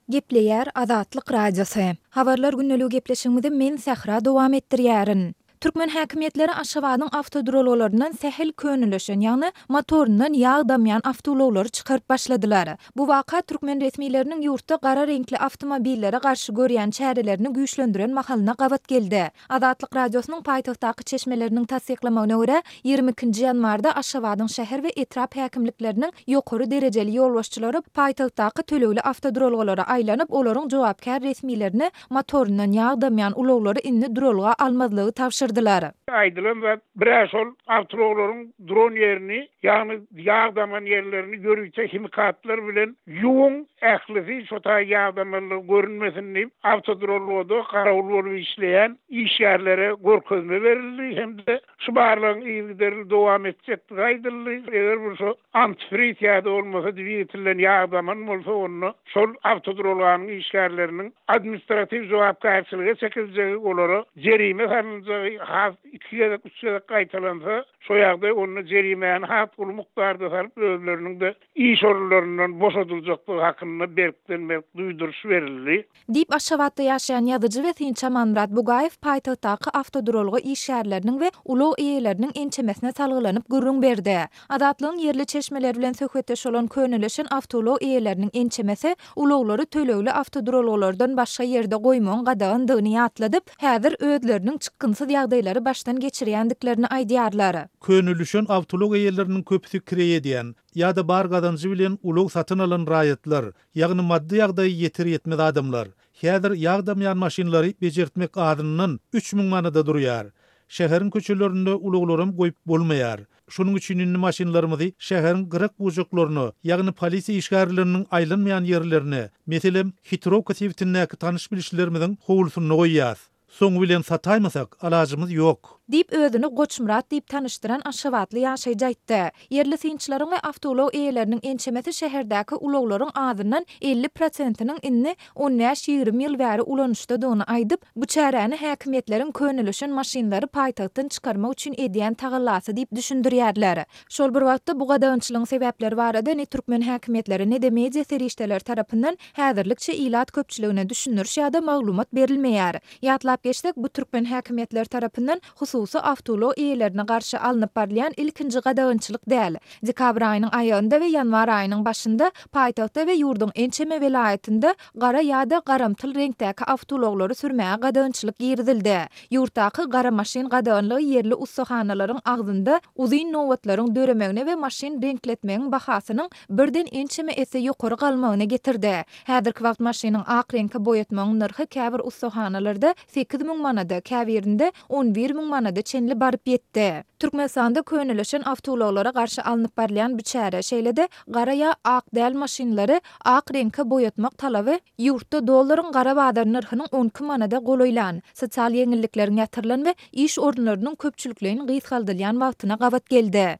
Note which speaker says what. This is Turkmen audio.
Speaker 1: Gepleýär Azatlyk Radiosy. Habarlar gündeligi gepleşigimizi men Sähra dowam etdirýärin. Türkmen häkimiýetleri Aşgabadyň awtoduralgalaryndan sähel könelişen, ýagny motoryndan ýag damýan awtoulaglary çykaryp başladylar. Bu waka türkmen resmileriniň ýurtda gara reňkli awtomobillere garşy görýän çärelerini güýçlendiren mahalyna gabat geldi. Azatlyk Radiosynyň paýtagtdaky çeşmeleriniň tassyklamagyna görä, 22-nji ýanwarda Aşgabadyň şäher we etrap häkimlikleriniň ýokary derejeli ýolbaşçylary paýtagtdaky tölegli awtoduralgalara aýlanyp, olaryň jogapkär resmilerine motoryndan ýag damýan ulaglary indi duralga almazlygy tabşyrdylar.
Speaker 2: Aýdylan zat, bir-ä şol awtoulaglaryň duran ýerini, ýagny ýag daman ýerlerini ýörite himikatlar bilen ýuwuň, ählisi şo taý ýag damanlygy görünmesin diýip, awtoduralgada garawul bolup işleýän işgärlere görkezme berildi hem-de şu barlagyň yzygiderli dowam etjekdigi aýdyldy. Eger bir şo antifriz ýa-da bolmasa dwigatelden ýag daman bolsa, onda şol awtoduralganyň işgärleriniň administratiw jogapkärçilige çekiljegi, olara jerime salynjagy has iki gezek, üç gezek gaýtalansa, şo ýagdaý onda jerimäni has uly mukdarda salyp, özleriniň-de iş orunlaryndan boşadyljakdygy hakynda berkden-berk duýduryş berildi.
Speaker 1: Diýip, Aşgabatda ýaşaýan ýazyjy we synçy Amanmyrat Bugaýew paýtagtdaky awtoduralga işgärleriniň we ulag eýeleriniň ençemesine salgylanyp gürrüň berdi. Azatlygyň ýerli çeşmeleri bilen söhbetdeş bolan könelişen awtoulag eýeleriniň ençemesi ulaglary tölegli awtoduralgalardan başga ýerde goýmagyň gadagandygyny ýatladyp, häzir özleriniň çykgynsyz ýagdaýlary başdan geçirýändiklerini aýdýarlar.
Speaker 3: Könelişen awtoulag eýeleriniň köpüsi kireý edýän ýa-da bar gazanjy bilen ulag satyn alan raýatlar, Ýagny maddy ýagdaýy ýeter-ýetmez adamlar. Häzir ýag damýan maşynlary bejertmek azyndan 3000 manada durýar. Şäheriň köçelerinde ulaglaram goýup bolmaýar. Şonuň üçin indi maşynlarymyzy şäheriň gyrak-bujaklaryna, ýagny polisiýa işgärleriniň aýlanmaýan ýerlerine, meselem, Hitrowka sebitindäki tanyş-bilişlerimiziň howlusynda goýýas. Soňy bilen sataýmasak, alajymyz ýok.
Speaker 1: Diýip, özüni Goçmyrat diýip tanyşdyran aşgabatly ýaşaýjy aýtdy. Ýerli synçylaryň we awtoulag eýeleriniň ençemesi şäherdäki ulaglaryň azyndan 50 prosentiniň indi on bäş-ýigrimi ýyl bäri ulanyşdadygyny aýdyp, bu çäräni häkimiýetleriň könelişen maşynlary paýtagtdan çykarmak üçin edýän tagallasy diýip düşündirýärler. Şol bir wagtda, bu gadagançylygyň sebäpleri barada ne türkmen häkimiýetleri, ne-de media serişdeleri tarapyndan häzirlikçe ilat köpçüligine düşündiriş ýa-da maglumat berilmeýär. Ýatlap geçsek, bu türkmen häkimiýetleri tarapyndan hususy awtoulag eýelerine garşy alnyp barylýan ilkinji gadagançylyk däl. Dekabr aýynyň aýagynda we ýanwar aýynyň başynda paýtagtda we ýurduň ençeme welaýatynda gara ýa-da garamtyl reňkdäki awtoulaglary sürmäge gadagançylyk girizildi. Ýurtdaky gara maşyn gadaganlygy ýerli ussahanalaryň agzynda uzyn nobatlaryň döremegine we maşyn reňkletmegiň bahasynyň birden ençeme esse ýokary galmagyna getirdi. Häzirki wagt maşynyň ak reňke boýatmagyň nyrhy käbir ussahanalarda 8000 manada, käbirinde 11 müň manada çenli baryp ýetdi. Türkmenistanda könelişen awtoulaglara garşy alnyp barylýan bu çäre, şeýle-de gara ýa ak däl maşynlary ak reňke boýatmak talaby ýurtda dollaryň gara bazar nyrhynyň 12 manada golaýlan, sosial ýeňillikleriň ýatyrylan we iş orunlarynyň köpçülikleýin gysgaldylýan wagtyna gabat geldi.